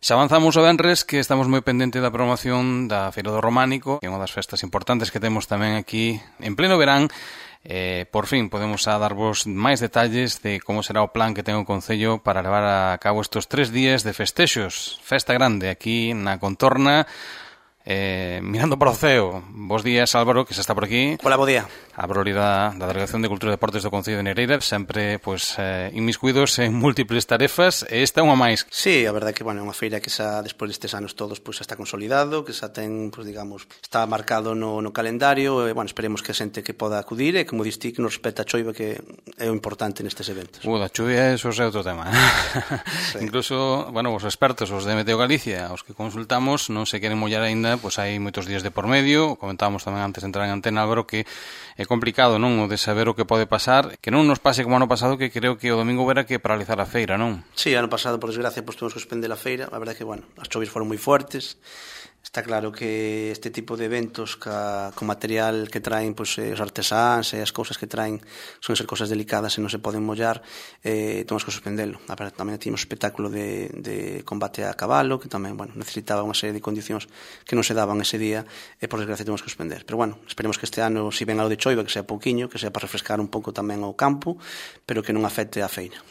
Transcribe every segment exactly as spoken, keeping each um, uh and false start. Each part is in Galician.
Xa avanzamos o venres que estamos moi pendente da programación da Feira do Románico, que é unha das festas importantes que temos tamén aquí en pleno verán. Eh, por fin podemos a darvos máis detalles de como será o plan que ten o Concello para levar a cabo estes tres días de festexos. Festa grande aquí na Contorna, eh, mirando para o ceo. Bos días, Álvaro, que xa está por aquí. Hola, bo día. A Brolida da Delegación de Cultura e Deportes do Concello de Negreira, sempre pois, eh, inmiscuídos en múltiples tarefas, e esta é unha máis. Sí, a verdade é que, bueno, é unha feira que xa, despois destes anos todos, pois, xa está consolidado, que xa ten, pois, digamos, está marcado no, no calendario, e, bueno, esperemos que a xente que poda acudir, e, como diste, que nos respeta a choiva, que é o importante nestes eventos. Uh, da chuvia, eso é outro tema. Sí. Incluso, bueno, os expertos, os de Meteo Galicia, os que consultamos, non se queren mollar aínda, pois hai moitos días de por medio. Comentábamos tamén antes de entrar en antena, Álvaro, que é complicado, non, o de saber o que pode pasar, que non nos pase como ano pasado, que creo que o domingo verá que paralizar a feira, non? Sí, ano pasado, por desgracia, pues, tuvimos que suspender a feira. A verdade é que, bueno, as chovias foron moi fortes. Está claro que este tipo de eventos ca, con material que traen, pues, eh, os artesáns e as cousas que traen son ser cousas delicadas e non se poden mollar, eh, temos que suspendelo. A verdade, tamén tínhamos espectáculo de, de combate a cabalo, que tamén, bueno, necesitaba unha serie de condicións que non se daban ese día, e por desgracia temos que suspender. Pero, bueno, esperemos que este ano, si ven algo de choiva, que sea pouquiño, que sea para refrescar un pouco tamén o campo, pero que non afecte a feira.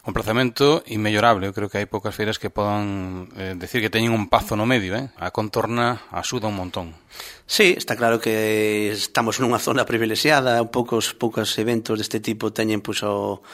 Un prazamento inmellorable. Eu creo que hai poucas feiras que podan eh, decir que teñen un pazo no medio, eh? A Contorna axuda un montón. Sí, está claro que estamos nunha zona privilexiada, poucos poucos eventos deste tipo teñen, pois, o,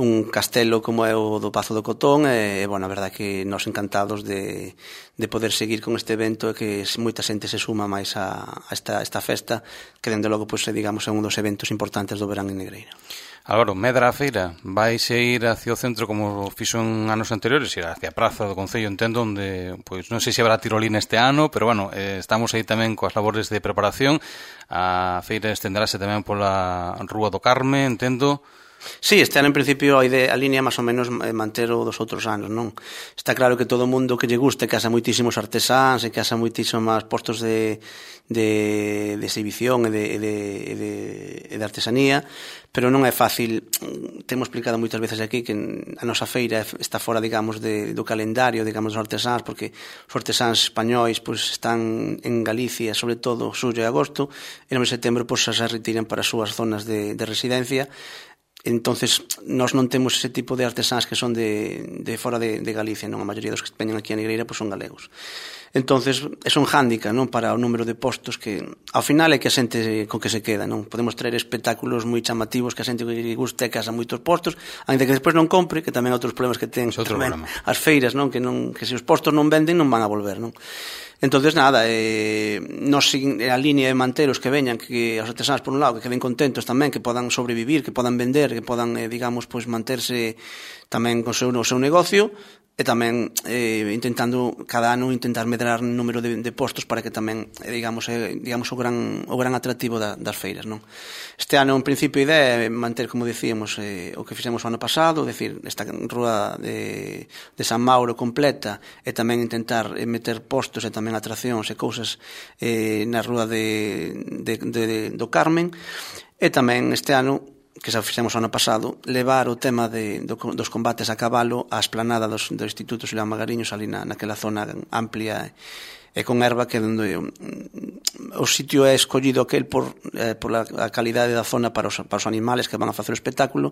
un castelo como é o do Pazo do Cotón, e, bueno, a verdade que nós encantados de, de poder seguir con este evento, e que moita xente se suma máis a, a esta, esta festa, que, dende logo, pois, digamos, é un dos eventos importantes do verán en Negreira. Álvaro, medra a feira, vais a ir hacia o centro como fixo en anos anteriores, ir hacia a Praza do Concello, entendo, onde, pois, non sei se habrá tirolina este ano, pero, bueno, eh, estamos aí tamén coas labores de preparación. A feira estenderase tamén pola Rúa do Carme, entendo. Sí, este ano en principio a idea, a línea máis ou menos é manter o dos outros anos, non? Está claro que todo o mundo que lle guste, que haxa moitísimos artesáns e que haxa moitísimos postos de, de, de exhibición e de, de, de, de artesanía, pero non é fácil. Temos explicado moitas veces aquí que a nosa feira está fora, digamos, de, do calendario, digamos, dos artesáns, porque os artesáns españois, pois, están en Galicia, sobre todo, xullo e agosto, e no mes de setembro, pois, se retiran para as súas zonas de, de residencia. Entonces, nós non temos ese tipo de artesáns que son de, de fora de, de Galicia, non? A maioría dos que veñen aquí a Negreira, pois, son galegos. Entonces, é un hándicap, non, para o número de postos que, ao final, é que a xente con que se queda, non? Podemos traer espectáculos moi chamativos que a xente que guste que haxa moitos postos, ainda que despois non compre, que tamén outros problemas que ten tamén as feiras, non? Que, non, que se os postos non venden, non van a volver, non? Entonces, nada, eh, nos, a línea de manter os que veñan, que os artesáns, por un lado, que queden contentos tamén, que podan sobrevivir, que podan vender, que podan, eh, digamos, pois, manterse tamén con o seu, o seu negocio, e tamén eh, intentando cada ano intentar medrar o número de, de postos para que tamén, eh, digamos, eh, digamos o gran o gran atractivo da, das feiras, non? Este ano, en principio, a idea é manter, como dicíamos, eh, o que fixemos o ano pasado, decir, esta rúa de, de San Mauro completa, e tamén intentar eh, meter postos e tamén atraccións e cousas eh, na rúa de, de, de, do Carmen, e tamén este ano, que xa fixemos o ano pasado, levar o tema de, do, dos combates a cabalo á esplanada dos, do Instituto Xulián Magariños, ali na, naquela zona amplia e con erva, que onde o, o sitio é escollido aquel por, eh, por la, a calidade da zona para os, para os animales que van a facer o espectáculo,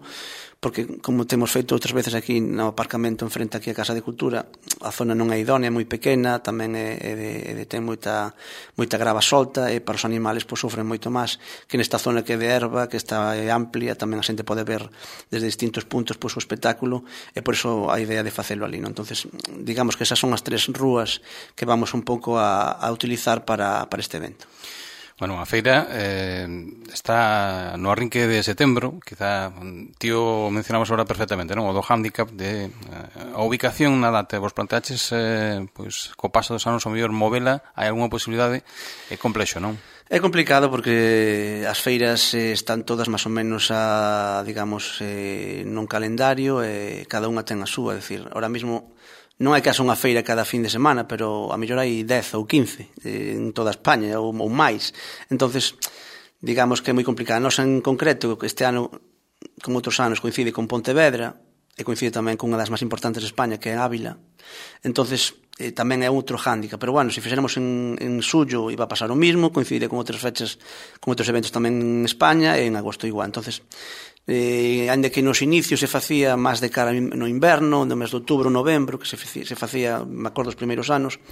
porque, como temos feito outras veces aquí no aparcamento enfrente aquí a Casa de Cultura, a zona non é idónea, é moi pequena, tamén é, é de, é de ten moita, moita grava solta, e para os animales, pois, sofren moito máis que nesta zona que é de erva, que está é amplia, tamén a xente pode ver desde distintos puntos, pois, o espectáculo, e por iso a idea de facelo ali, non? Entonces, digamos que esas son as tres rúas que vamos un pouco a, a utilizar para, para este evento. Bueno, a feira eh, está no arrinque de setembro, quizá tío mencionamos agora perfectamente, non? O do hándicap de eh, a ubicación na data. Vos planteaches, eh, pois, co paso dos anos, o mellor movela, hai algunha posibilidade? É complexo, non? É complicado porque as feiras eh, están todas máis ou menos a, digamos, eh, nun calendario, e eh, cada unha ten a súa, é dicir, ahora mismo non é que haxa unha feira cada fin de semana, pero a mellor hai dez ou quince eh, en toda España, ou, ou máis. Entonces, digamos que é moi complicado. Nos, en concreto, este ano, como outros anos, coincide con Pontevedra, e coincide tamén con unha das máis importantes de España, que é Ávila. Entonces, eh, tamén é outro hándicap, pero bueno, se fixéramos en, en Sullo iba a pasar o mismo, coincide con outras fechas, con outros eventos tamén en España, e en agosto igual. Entonces, eh, ainda que nos inicios se facía máis de cara no inverno, no mes de outubro, novembro, que se facía, se facía, me acordo, os primeiros anos,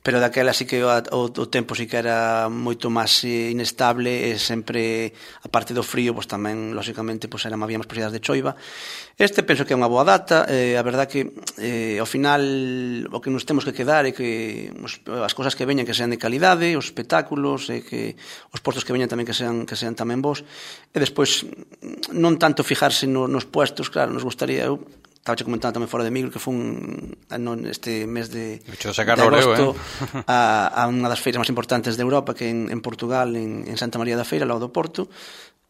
pero daquela sí que o, o, o tempo sí que era moito máis eh, inestable, e sempre, a parte do frío, pois tamén, lóxicamente, pois era, había máis posibilidades de choiva. Este penso que é unha boa data, eh, a verdad que eh, ao final o que nos temos que quedar é que os, as cousas que veñan que sean de calidade, os espectáculos, e que os postos que veñan tamén que sean, que sean tamén bons, e despois non tanto fijarse no, nos puestos, claro, nos gustaría, eu estaba comentando tamén fora de micro que foi un, este mes de, de agosto eh? a, a unha das feiras máis importantes de Europa, que en, en Portugal, en, en Santa María da Feira, ao lado do Porto,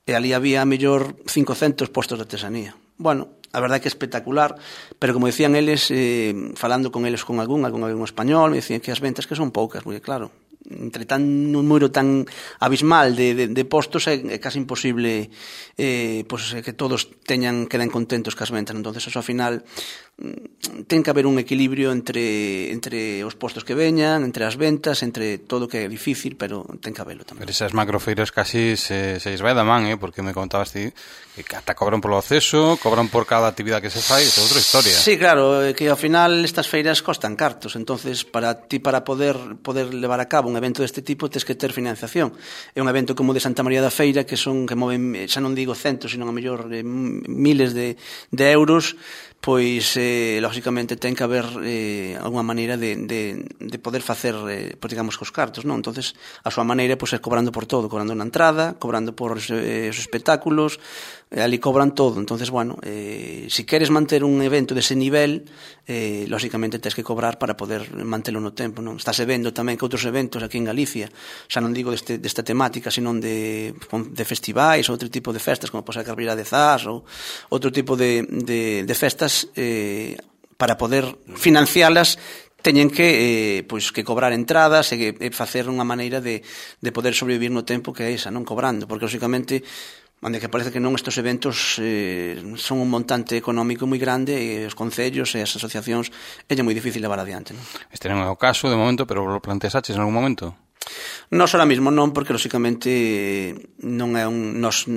e ali había a mellor cincocentos postos de artesanía. Bueno, a verdade que é espectacular, pero como decían eles, eh, falando con eles con algún, algún, algún español, me decían que as ventas que son poucas, porque claro, entre tan un número tan abismal de, de, de postos é, é casi imposible eh, pues, que todos teñan queden contentos cas ventas. Entonces eso ao final ten que haber un equilibrio entre entre os postos que veñan, entre as ventas, entre todo, que é difícil, pero ten que haberlo tamén. Pero esas macrofeiras casi se, se vai da man, eh? Porque me contabas ti que ata cobran polo acceso, cobran por cada actividade que se fai, é outra historia. Sí, claro, que ao final estas feiras costan cartos, entonces para ti, para poder poder levar a cabo un evento deste tipo, tens que ter financiación. É un evento como o de Santa María da Feira, que son que moven, xa non digo centos, sino a mellor eh, miles de, de euros, pois, eh, lógicamente, ten que haber eh, alguma maneira de, de, de poder facer, eh, pues, digamos, cos cartos, non? Entonces, a súa maneira, pois, é cobrando por todo, cobrando na entrada, cobrando por eh, os espectáculos, eh, ali cobran todo. Entonces, bueno, eh, si queres manter un evento dese nivel, eh, lógicamente, tens que cobrar para poder mantelo no tempo, non? Estáse vendo tamén que outros eventos aquí en Galicia, xa non digo deste, desta temática, sino de, de festivais, outro tipo de festas, como pode ser a Carreira de Zas, ou outro tipo de, de, de festas, Eh, para poder financialas teñen que, eh, pois, que cobrar entradas e, e facer unha maneira de, de poder sobrevivir no tempo, que é esa, non cobrando, porque lógicamente onde que parece que non, estes eventos eh, son un montante económico moi grande, e os concellos e as asociacións é moi difícil levar adiante, non? Este non é o caso de momento, pero lo planteasaches en algún momento? Nos ahora mismo non, porque lógicamente non é un, nos,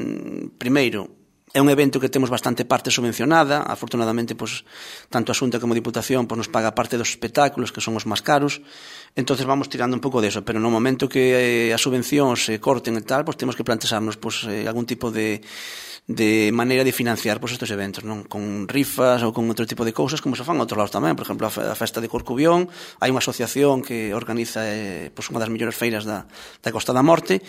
primeiro, é un evento que temos bastante parte subvencionada. Afortunadamente, pois, tanto a Xunta como a Diputación, pois, nos paga parte dos espectáculos, que son os máis caros. Entonces vamos tirando un pouco deso, pero no momento que eh, as subvencións se corten e tal, pois temos que plantexarnos, pois, eh, algún tipo de de maneira de financiar, pois, estes eventos, non? Con rifas ou con outro tipo de cousas, como se fan a outros lados tamén. Por exemplo, a festa de Corcubión, hai unha asociación que organiza eh, pois, unha das mellores feiras da, da Costa da Morte.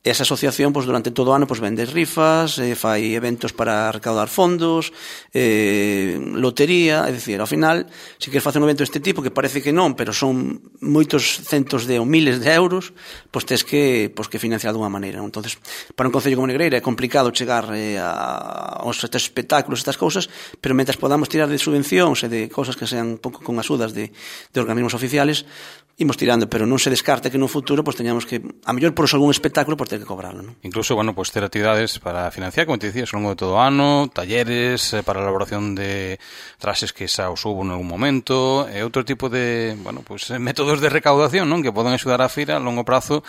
Esa asociación, pois, durante todo o ano, pois, vende rifas, eh, fai eventos para recaudar fondos, eh, lotería, é dicir, ao final, se queres facer un evento deste tipo, que parece que non, pero son moitos centos de ou miles de euros, pois tes que, pois, que financiar de unha maneira. Entonces, para un concello como Negreira é complicado chegar eh, a, aos estes espectáculos, estas cousas, pero mentras podamos tirar de subvencións e de cousas que sean un pouco con axudas de, de organismos oficiales, imos tirando, pero non se descarta que no futuro pois teñamos que, a mellor por algún espectáculo, pois ter que cobrarlo, non? Incluso, bueno, pois ter actividades para financiar, como te dicías, ao longo de todo o ano, talleres eh, para a elaboración de traxes que xa os hubo en algún momento, e outro tipo de, bueno, pois métodos de recaudación, non? Que poden axudar a feira a longo prazo,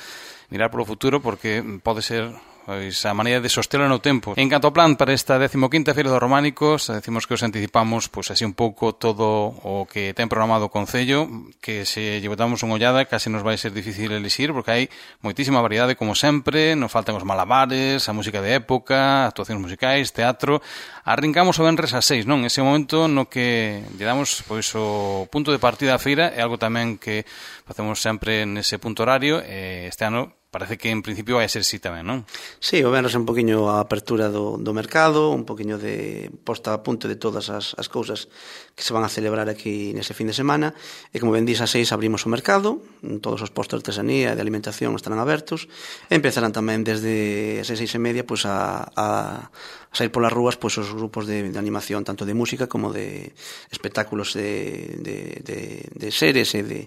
mirar polo futuro, porque pode ser pois a maneira de sostelo no tempo. En canto ao plan para esta decimoquinta Feira dos Románicos, decimos que os anticipamos pois así un pouco todo o que ten programado o Concello, que se lle botamos unha ollada case nos vai ser difícil elixir, porque hai moitísima variedade como sempre, nos faltan os malabares, a música de época, actuacións musicais, teatro. Arrincamos o venres a seis, non? Ese momento no que lle damos pois o punto de partida á feira, é algo tamén que facemos sempre nese punto horario, e este ano parece que en principio vai ser así tamén, non? Sí, o venres é un poquinho a apertura do, do mercado, un poquinho de posta a punto de todas as, as cousas que se van a celebrar aquí nese fin de semana, e como ben dís, a seis abrimos o mercado, todos os postos de artesanía e de alimentación estarán abertos, e empezarán tamén desde as seis e media pois, a, a, a sair polas rúas pois, os grupos de, de animación, tanto de música como de espectáculos de, de, de, de seres e de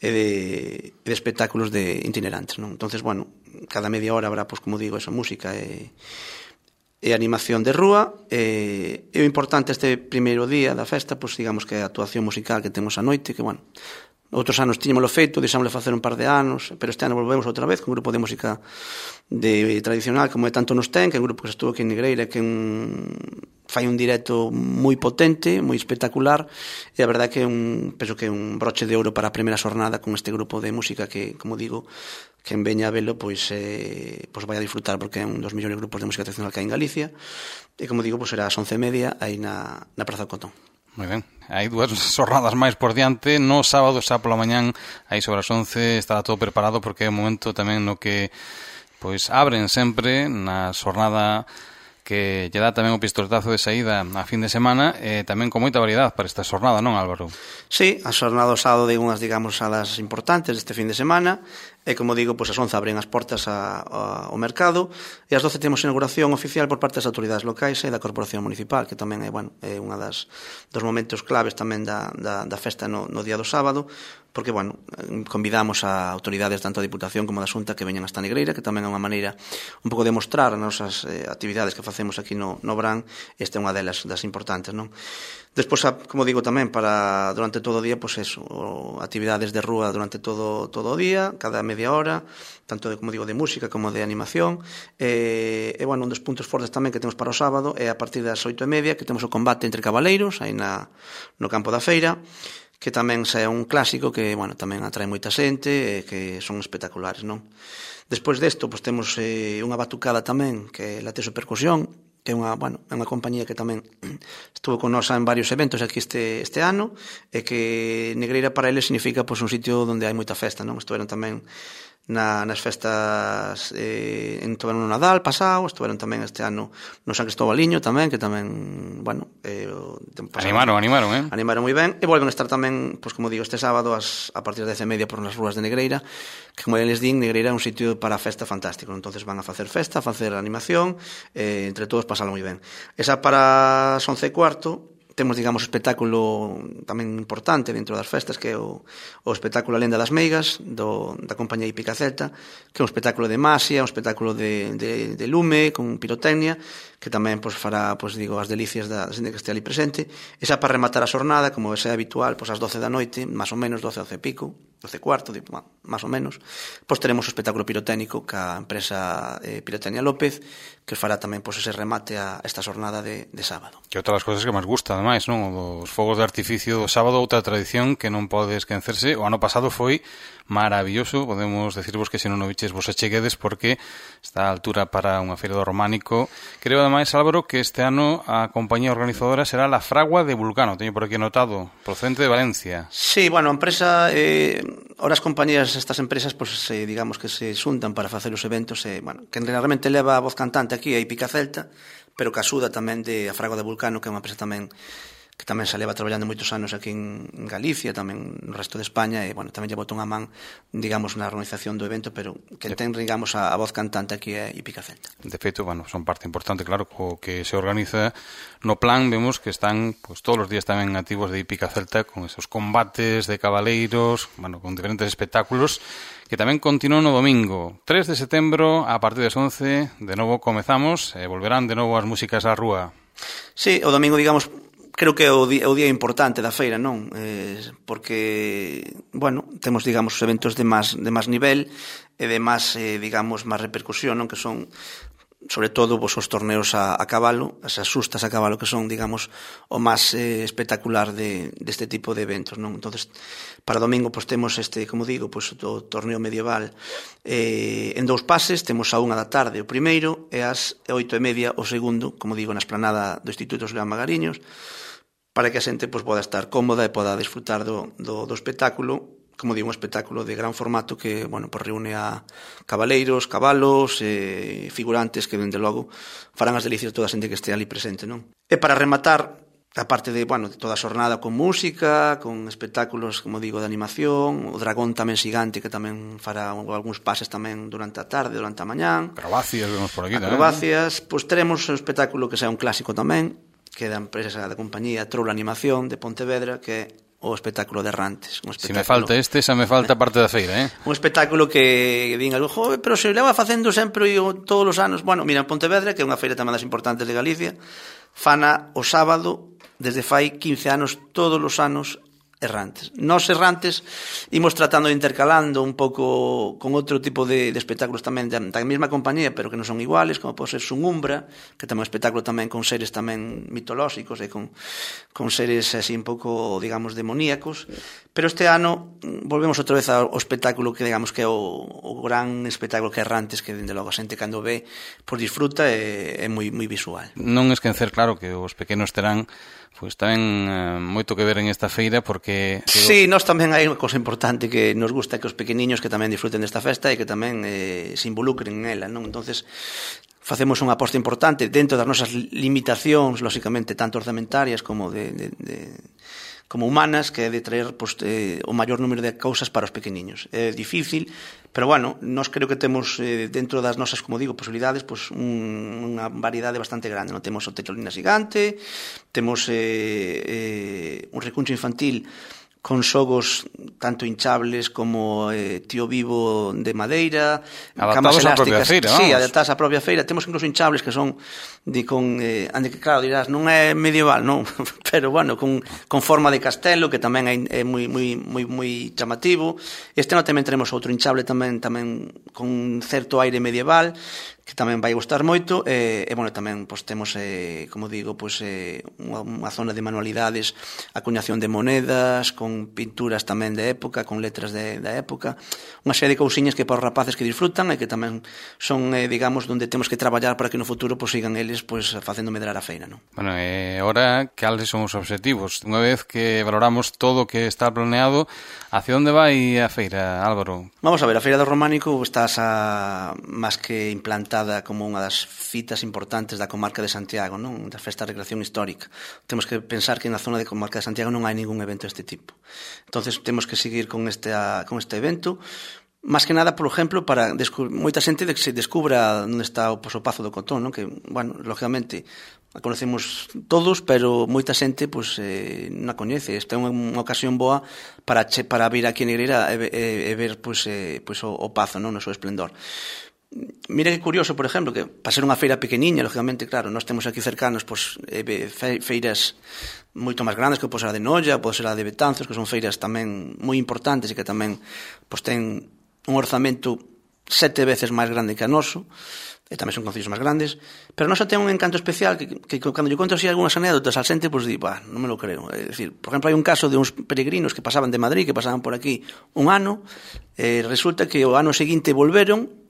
e de, de espectáculos de itinerantes, non? Entonces, bueno, cada media hora habrá, pois, como digo, esa música e, e animación de rúa, e, e o importante este primeiro día da festa, pois digamos que é a actuación musical que temos a noite, que, bueno, outros anos tiñamoslo feito, deixámosle facer un par de anos, pero este ano volvemos outra vez con un grupo de música de tradicional, como é Tanto Nos Ten, que é un grupo que estuvo aquí en Negreira, que un, fai un directo moi potente, moi espectacular, e a verdade que é un, penso que é un broche de ouro para a primeira xornada con este grupo de música que, como digo, que en veña a velo, pois, eh, pois vai a disfrutar, porque é un dos millores grupos de música tradicional que hai en Galicia, e como digo, pois será ás once e media aí na, na Praza do Cotón. Moi ben, hai dúas xornadas máis por diante. No sábado xa pola mañán, aí sobre as once, estará todo preparado, porque é un momento tamén no que pois abren sempre na xornada que lle dá tamén o pistoletazo de saída a fin de semana, e tamén con moita variedade para esta xornada, non, Álvaro? Sí, a xornada do sábado de unhas, digamos, salas importantes deste fin de semana, e como digo, pois as once abren as portas a, a, ao mercado, e as doce temos inauguración oficial por parte das autoridades locais e da Corporación Municipal, que tamén é, bueno, é unha das dos momentos claves tamén da, da, da festa no, no día do sábado, porque, bueno, convidamos a autoridades tanto da Diputación como da Xunta que veñan hasta Negreira, que tamén é unha maneira un pouco de mostrar as nosas eh, actividades que facemos aquí no, no Brán, esta é unha delas das importantes, non? Despois, como digo tamén, para durante todo o día, pois eso, actividades de rúa durante todo todo o día, cada media hora, tanto de, como digo, de música como de animación, e, e bueno, un dos puntos fortes tamén que temos para o sábado é a partir das oito e media, que temos o combate entre cabaleiros, aí na, no campo da feira, que tamén xa é un clásico que, bueno, tamén atrae moita xente e que son espectaculares, non? Despois desto, pois temos eh, unha batucada tamén, que é Lateso Percusión, que é unha, bueno, é unha compañía que tamén estuvo con nosa en varios eventos aquí este, este ano, e que Negreira para eles significa pois, un sitio onde hai moita festa, non? Estuveron tamén na, nas festas eh, en Toberno no Nadal pasado, estuveron tamén este ano no San Cristobaliño tamén, que tamén, bueno, eh, pasado, animaron, animaron, eh? Animaron moi ben, e volven a estar tamén, pois como digo, este sábado as, a partir das dez e media por nas rúas de Negreira, que como les din, Negreira é un sitio para a festa fantástico, entonces van a facer festa, a facer animación, eh, entre todos pasalo moi ben. Esa para as once e cuarto temos, digamos, o espectáculo tamén importante dentro das festas, que é o, o espectáculo A Lenda das Meigas, do, da compañía Hípica Celta, que é un espectáculo de masia, un espectáculo de, de, de lume, con pirotecnia, que tamén pois, fará, pois, digo, as delicias da xente que este ali presente. Esa para rematar a xornada, como é habitual, pois, ás doce da noite, máis ou menos, doce, doce e pico, doce e cuarto, bueno, máis ou menos, pois teremos o espectáculo pirotécnico ca empresa eh, Pirotecnia López, que fará tamén pois, ese remate a esta xornada de, de sábado. Que outra das cousas que máis gusta, ademais, non? Os fogos de artificio do sábado, outra tradición que non pode esquecerse. O ano pasado foi maravilloso, podemos decirvos que se non o viches vos acheguedes, porque está a altura para unha feira do Románico. Creo, ademais, Álvaro, que este ano a compañía organizadora será La Fragua de Vulcano, teño por aquí anotado, procedente de Valencia. Sí, bueno, a empresa, eh, ahora as compañías, estas empresas, pues, eh, digamos que se xuntan para facer os eventos, eh, bueno, que realmente leva a voz cantante aquí a Hípica Celta, pero que axuda tamén de a Fragua de Vulcano, que é unha empresa tamén que tamén se leva traballando moitos anos aquí en Galicia, tamén no resto de España, e, bueno, tamén lle botou unha man, digamos, na organización do evento, pero que ten, digamos, a, a voz cantante aquí é Hípica Celta. De feito, bueno, son parte importante, claro, co que se organiza no plan, vemos que están, pues, todos os días tamén activos de Hípica Celta, con esos combates de cabaleiros, bueno, con diferentes espectáculos, que tamén continúan no domingo, tres de setembro, a partir das once, de novo comezamos, e volverán de novo as músicas á rúa. Sí, o domingo, digamos, creo que é o día, o día importante da feira, non? Eh, porque, bueno, temos, digamos, os eventos de máis de máis nivel e de máis, eh, digamos, máis repercusión, non? Que son, sobre todo, vos, os torneos a, a cabalo, as asustas a cabalo, que son, digamos, o máis eh, espectacular de, deste tipo de eventos, non? Entonces, para domingo, pois, temos este, como digo, pois, o torneo medieval eh, en dous pases, temos a unha da tarde o primeiro e ás oito e media o segundo, como digo, na esplanada do Instituto León Magariños, para que a xente pois, poda estar cómoda e poda disfrutar do, do, do espectáculo, como digo, un espectáculo de gran formato que, bueno, pois reúne a cabaleiros, cabalos, eh, figurantes que, dende logo, farán as delicias de toda a xente que este ali presente, non? E para rematar, a parte de, bueno, de toda a xornada con música, con espectáculos, como digo, de animación, o dragón tamén xigante que tamén fará algúns pases tamén durante a tarde, durante a mañán. Acrobacias, vemos por aquí tamén. Acrobacias, pois teremos un espectáculo que sea un clásico tamén, que é da empresa da compañía Troula Animación de Pontevedra, que é o espectáculo de Errantes. Se me falta este, xa me falta parte da feira, eh? Un espectáculo que din algo, joder, pero se leva facendo sempre todos os anos. Bueno, mira, en Pontevedra, que é unha feira tamén das importantes de Galicia, fana o sábado, desde fai quince anos, todos os anos, Errantes. Nos Errantes imos tratando de intercalando un pouco con outro tipo de, de espectáculos tamén da, da mesma compañía, pero que non son iguales, como pode ser Sunumbra, que tamén é un espectáculo tamén con seres tamén mitolóxicos e con, con seres así un pouco, digamos, demoníacos. Pero este ano volvemos outra vez ao espectáculo que, digamos, que é o, o gran espectáculo que é Errantes, que, dende logo, a xente cando ve, por disfruta, é, é moi, moi visual. Non esquecer, claro, que os pequenos terán pois tamén eh, moito que ver en esta feira, porque... Sí, nós tamén hai unha cosa importante que nos gusta que os pequeniños que tamén disfruten desta festa e que tamén eh, se involucren en ela, non? Entonces facemos unha aposta importante dentro das nosas limitacións, lóxicamente, tanto orzamentarias como de... de, de como humanas, que é de traer pues, eh, o maior número de cousas para os pequeniños. É difícil, pero bueno, nós creo que temos eh, dentro das nosas, como digo, posibilidades, pues, un, unha variedade bastante grande. Non temos o Tetrolina Xigante, temos eh, eh, un recuncho infantil con xogos tanto hinchables como eh, tío vivo de madeira, adaptados á propia feira, vamos. Sí, adaptadas á propia feira. Temos incluso hinchables que son de con eh, ande que claro, dirás, non é medieval, non, pero bueno, con, con forma de castelo, que tamén é, é moi moi moi moi chamativo. Este ano tamén tenemos outro hinchable tamén tamén con certo aire medieval, que tamén vai gustar moito, e, e bueno, tamén pois, temos, eh, como digo, pois, eh, unha, unha zona de manualidades, acuñación de monedas, con pinturas tamén de época, con letras de, da época, unha serie de cousiñas que para os rapaces que disfrutan e que tamén son, eh, digamos, onde temos que traballar para que no futuro pois, sigan eles pois, facendo medrar a feira, non? Bueno, e agora, cales son os obxectivos? Unha vez que valoramos todo o que está planeado, hacia onde vai a feira, Álvaro? Vamos a ver, a Feira do Románico está a, máis que implantada como unha das citas importantes da comarca de Santiago, non? Da festa de recreación histórica. Temos que pensar que na zona de comarca de Santiago non hai ningún evento deste tipo. Entonces temos que seguir con este, con este evento, máis que nada, por exemplo, para moita xente de que se descubra onde está o, pues, o Pazo do Cotón, non? Que, bueno, lógicamente a conocemos todos, pero moita xente pois, eh, non a coñece. Esta é unha, unha ocasión boa para, che, para vir aquí a Negreira e, e, e ver pois, eh, pois, o, o Pazo, non? No seu esplendor. Mira que curioso, por exemplo, que para ser unha feira pequeniña, lógicamente, claro, nós temos aquí cercanos pois, feiras moito máis grandes, que pode ser a de Noia, pode ser a de Betanzos, que son feiras tamén moi importantes e que tamén pois, ten un orzamento sete veces máis grande que a noso, e tamén son concellos máis grandes, pero non só ten un encanto especial que, que, que cando yo conto así algunhas anécdotas al xente, pois pues, di, bah, non me lo creo. É dicir, por exemplo, hai un caso de uns peregrinos que pasaban de Madrid, que pasaban por aquí un ano, e resulta que o ano seguinte volveron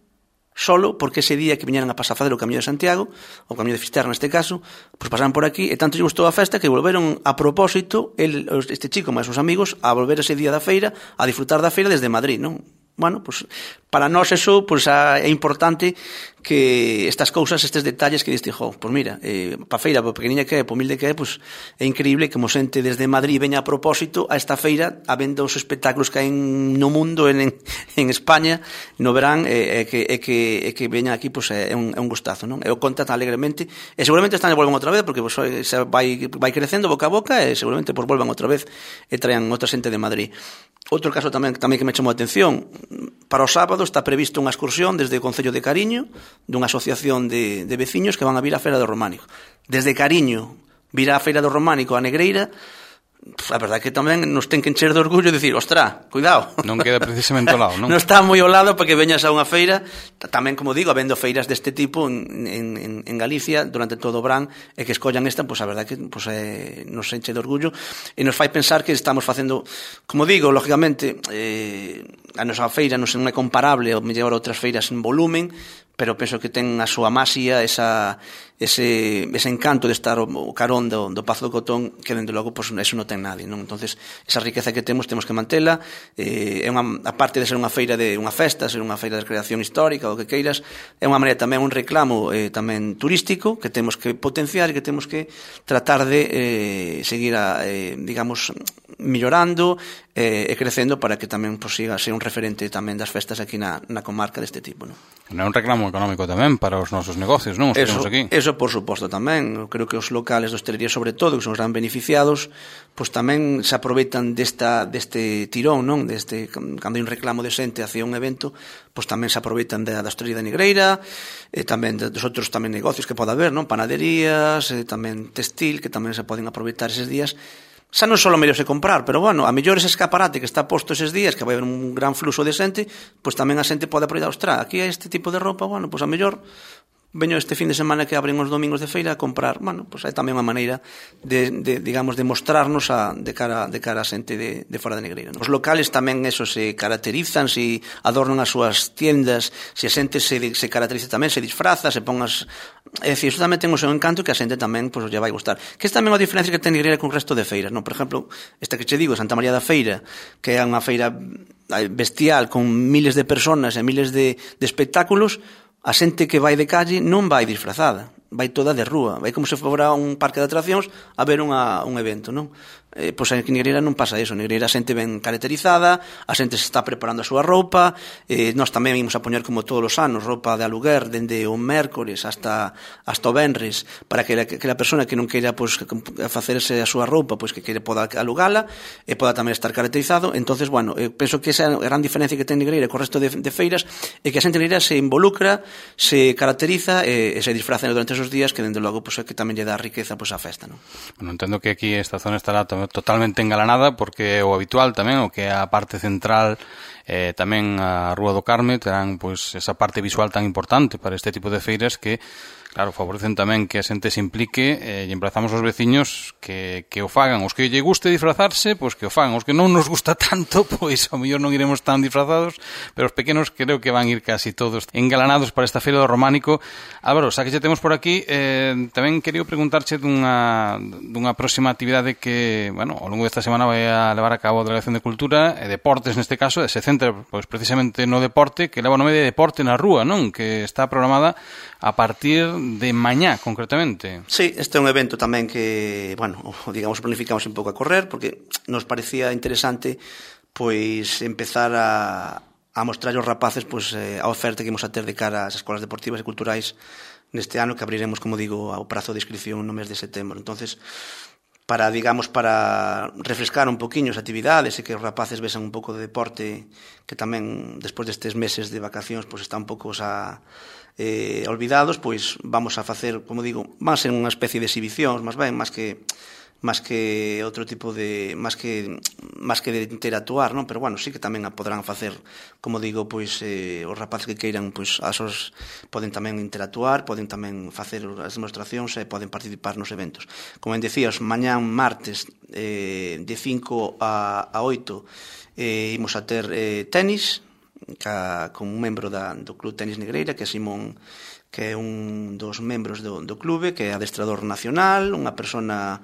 solo porque ese día que viñeran a pasar a fazer o Camiño de Santiago, o Camiño de Fisterra neste caso, pois pasaban por aquí e tanto lle gustou a festa que volveron a propósito, el, este chico máis os amigos, a volver ese día da feira, a disfrutar da feira desde Madrid, non? Bueno, pues para nós eso pues, é importante que estas cousas, estes detalles que diste, jo, pues mira, eh, pa feira, pa pequeniña que é, pa humilde que é, pues é increíble que mo xente desde Madrid veña a propósito a esta feira, a vendo os espectáculos que hai no mundo, en, en España, no verán, e eh, que, eh, que, eh, que veña aquí, pues é un, é un gustazo, non? Eu conta tan alegremente, e seguramente están e volven outra vez, porque pues, se vai, vai crecendo boca a boca, e seguramente pues, volvan outra vez e traen outra xente de Madrid. Outro caso tamén, tamén que me chamou a atención, para o sábado está previsto unha excursión desde o Concello de Cariño, dunha asociación de, de veciños que van a vir á Feira do Románico. Desde Cariño vir á Feira do Románico a Negreira, a verdade que tamén nos ten que encher de orgullo e dicir, ostra, cuidado. Non queda precisamente ao lado, non? Non está moi ao lado para que veñas a unha feira, tamén, como digo, habendo feiras deste tipo en, en, en Galicia durante todo o verán, e que escollan esta, pois a verdade que pois, eh, nos enche de orgullo e nos fai pensar que estamos facendo, como digo, lógicamente, eh, a nosa feira non é comparable ao mellor a outras feiras en volumen, pero penso que ten a súa maxia, esa, ese, ese encanto de estar o, o carón do, do Pazo do Cotón, que dende logo pues, eso non ten nadie, non? Entonces, esa riqueza que temos, temos que mantela, eh, é unha, a parte de ser unha feira de unha festa, ser unha feira de recreación histórica, o que queiras, é unha maneira tamén un reclamo eh, tamén turístico, que temos que potenciar e que temos que tratar de eh, seguir a, eh, digamos, millorando eh, e crecendo para que tamén pues, siga a ser un referente tamén das festas aquí na, na comarca deste tipo, non? Non é un reclamo económico tamén para os nosos negocios, non? Os que temos aquí. Eso, por suposto, tamén. Eu creo que os locales de hostelería, sobre todo, que son os gran beneficiados, pois tamén se aproveitan desta, deste tirón, non? Deste, cando hai un reclamo de xente hacia un evento, pois tamén se aproveitan da, da hostelería da Negreira, e tamén dos outros tamén negocios que pode haber, non? Panaderías, e tamén textil, que tamén se poden aproveitar eses días. Xa non só mellor se comprar, pero, bueno, a mellor ese escaparate que está posto eses días, que vai haber un gran fluxo de xente, pois tamén a xente pode aproveitar, ostras, aquí hai este tipo de roupa, bueno, pois a mellor veño este fin de semana que abren os domingos de feira a comprar, bueno, pois é tamén unha maneira de, de digamos, de mostrarnos a, de cara de cara a xente de, de fora da Negreira. Os locales tamén eso se caracterizan, se adornan as súas tiendas, se a xente se, se caracteriza tamén, se disfraza, se pon as... É dicir, iso tamén ten o seu encanto que a xente tamén pois, lle vai gustar. Que é tamén a diferencia que ten Negreira con o resto de feiras, non? Por exemplo, esta que che digo, Santa María da Feira, que é unha feira bestial con miles de personas e miles de, de espectáculos, a xente que vai de calle non vai disfrazada, vai toda de rúa, vai como se fora un parque de atraccións a ver unha, un evento, non? Eh, pois en Negreira non pasa eso, en Negreira a xente ben caracterizada, a xente se está preparando a súa roupa, eh, nós tamén imos a poñer como todos os anos roupa de aluguer dende o mércores hasta hasta o venres, para que a, que a persona que non queira pois, facerse a súa roupa, pois que quere poda alugala e poda tamén estar caracterizado. Entonces, bueno, eu penso que esa é a gran diferencia que ten Negreira co resto de, de feiras, é que a xente Negreira se involucra, se caracteriza e, e se disfraza durante esos días, que dende logo pois, é que tamén lle dá riqueza pois, á festa, non? Bueno, entendo que aquí esta zona estará totalmente engalanada, porque o habitual tamén, o que é a parte central, eh, tamén a Rúa do Carme, terán pois esa parte visual tan importante para este tipo de feiras que, claro, favorecen tamén que a xente se implique, eh, e emplazamos aos veciños que, que o fagan. Os que lle guste disfrazarse, pois que o fagan. Os que non nos gusta tanto, pois ao mellor non iremos tan disfrazados, pero os pequenos creo que van ir casi todos engalanados para esta feira do Románico. Álvaro, xa que xa temos por aquí, eh, tamén quería preguntarche dunha, dunha próxima actividade que, bueno, ao longo desta semana vai a levar a cabo a Delegación de Cultura e Deportes, neste caso, e se centra pois, precisamente no deporte, que leva o nome de Deporte na Rúa, non? Que está programada a partir de mañá, concretamente. Sí, este é un evento tamén que, bueno, digamos, planificamos un pouco a correr, porque nos parecía interesante pois empezar a, a mostrar aos rapaces pois, a oferta que imos a ter de cara ás escolas deportivas e culturais neste ano, que abriremos, como digo, ao prazo de inscripción no mes de setembro. Entonces, para, digamos, para refrescar un poquinho as actividades e que os rapaces vexan un pouco de deporte, que tamén, despois destes meses de vacacións, pois está un pouco xa eh, olvidados, pois vamos a facer, como digo, van a ser unha especie de exhibicións, máis ben, máis que máis que outro tipo de máis que máis que de interactuar, non? Pero bueno, sí que tamén a podrán facer, como digo, pois eh, os rapaces que queiran, pois asos poden tamén interactuar, poden tamén facer as demostracións e poden participar nos eventos. Como en decías, mañán martes eh, de cinco a oito eh, imos a ter eh, tenis ca, con un membro da, do Club Tenis Negreira, que é Simón, que é un dos membros do, do clube, que é adestrador nacional, unha persona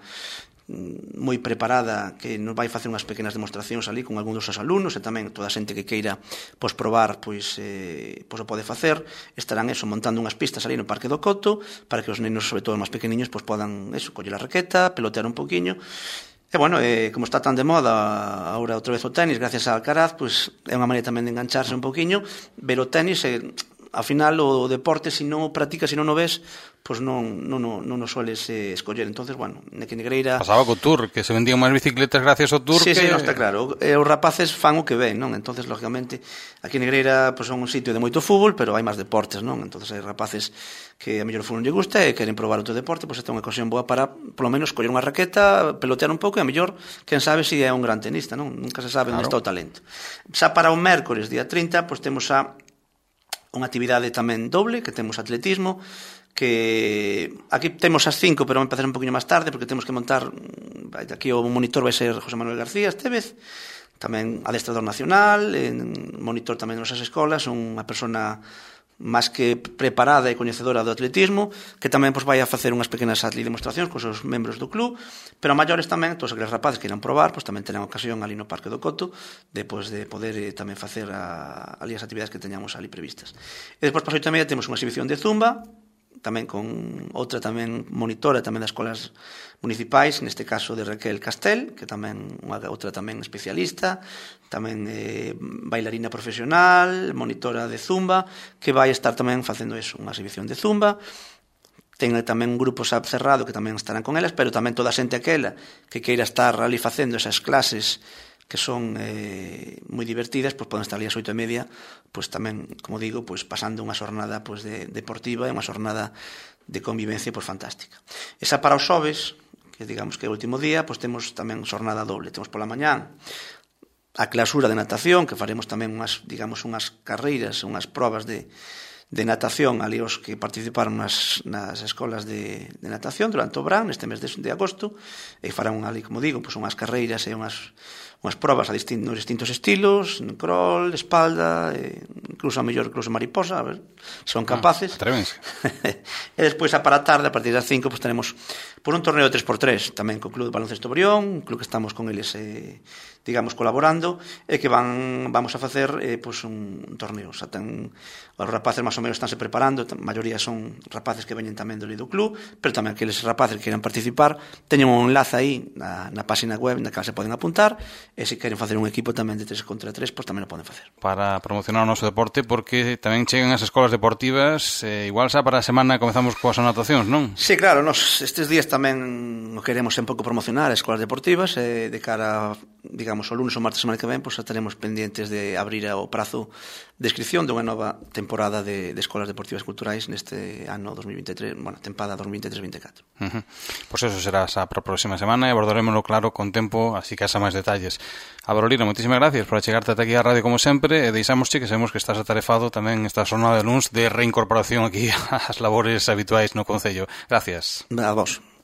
moi preparada que nos vai facer unhas pequenas demostracións ali con algún dos seus alumnos, e tamén toda a xente que queira pois probar pois, eh, pois o pode facer. Estarán eso montando unhas pistas ali no Parque do Coto para que os nenos, sobre todo os máis pequeniños, pois podan eso, coller a raqueta, pelotear un poquinho. E bueno, eh, como está tan de moda agora outra vez o tenis, gracias a Alcaraz, pois é unha maneira tamén de engancharse un poquinho, ver o tenis e ao final o deporte, se non o practicas, se non o ves, pois non non non non o sueles eh, escoller. Entonces, bueno, que Negreira pasaba co Tour, que se vendían máis bicicletas gracias ao Tour. Sí, que... sí, non está claro. E os rapaces fan o que ven, non? Entonces, lógicamente, aquí en Negreira pois son un sitio de moito fútbol, pero hai máis deportes, non? Entonces, hai rapaces que a mellor o fútbol lle gusta e queren probar outro deporte, pois esta é unha ocasión boa para, polo menos, coller unha raqueta, pelotear un pouco e a mellor, quen sabe se é un gran tenista, non? Nunca se sabe onde está o talento. Xa para o mércores, día trinta, pois temos a unha actividade tamén doble, que temos atletismo, que aquí temos as cinco, pero vamos a empezar un poquinho máis tarde, porque temos que montar, aquí o monitor vai ser José Manuel García este vez, tamén adestrador nacional, monitor tamén de nosas escolas, unha persona máis que preparada e coñecedora do atletismo, que tamén pois, vai a facer unhas pequenas ali demostracións cos seus membros do club, pero a maiores tamén, todos aqueles rapaces que irán probar, pois, tamén terán ocasión ali no Parque do Coto de, pois, de poder eh, tamén facer a, ali as actividades que teñamos ali previstas. E despois, para as oito e media, temos unha exhibición de zumba, tamén con outra tamén monitora tamén das escolas municipais, neste caso de Raquel Castel, que tamén unha outra tamén especialista, tamén eh, bailarina profesional, monitora de zumba, que vai estar tamén facendo eso, unha exhibición de zumba. Ten tamén un grupo S A P cerrado que tamén estarán con elas, pero tamén toda a xente aquela que queira estar ali facendo esas clases que son eh, moi divertidas, pois poden estar ali ás oito e media, pois tamén, como digo, pois pasando unha xornada pois de, deportiva e unha xornada de convivencia pois fantástica. Esa para os xoves, que digamos que é o último día, pois temos tamén xornada doble. Temos pola mañán a clausura de natación, que faremos tamén unhas, digamos, unhas carreiras, unhas probas de de natación ali os que participaron nas, nas escolas de, de natación durante o verán, neste mes de, de agosto, e farán ali, como digo, pois unhas carreiras e unhas, unhas probas a distintos, distintos estilos, crawl, espalda, e incluso a mellor incluso mariposa, a ver, son capaces. Ah, atrévense. E despois a para a tarde, a partir das cinco, pois tenemos por un torneo de tres por tres, tamén co Club de Baloncesto Brión, un club que estamos con eles eh, digamos, colaborando, e que van vamos a facer eh, pois un, un torneo. O sea, ten, os rapaces máis ou menos estánse preparando, a maioría son rapaces que veñen tamén do do club, pero tamén aqueles rapaces que queiran participar, teñen un enlace aí na, na página web na que se poden apuntar, e se queren facer un equipo tamén de tres contra tres, pois tamén o poden facer. Para promocionar o noso deporte, porque tamén chegan as escolas deportivas, eh, igual xa para a semana comezamos coas anotacións, non? Sí, claro, nos estes días tamén o queremos un pouco promocionar as escolas deportivas, e de cara, digamos, o lunes ou martes semana que ven, pois estaremos pendientes de abrir o prazo de inscripción de unha nova temporada de, de escolas deportivas culturais neste ano dos mil vinte e tres, bueno, tempada dos mil vinte e tres vinte e catro. Uh-huh. Pois eso será xa para a próxima semana e abordarémoslo claro con tempo, así que xa máis detalles. Abrolina, moitísimas gracias por achegarte ata aquí á radio como sempre, e deixámosche que sabemos que estás atarefado tamén esta xornada de luns de reincorporación aquí ás labores habituais no Concello. Gracias. A vos.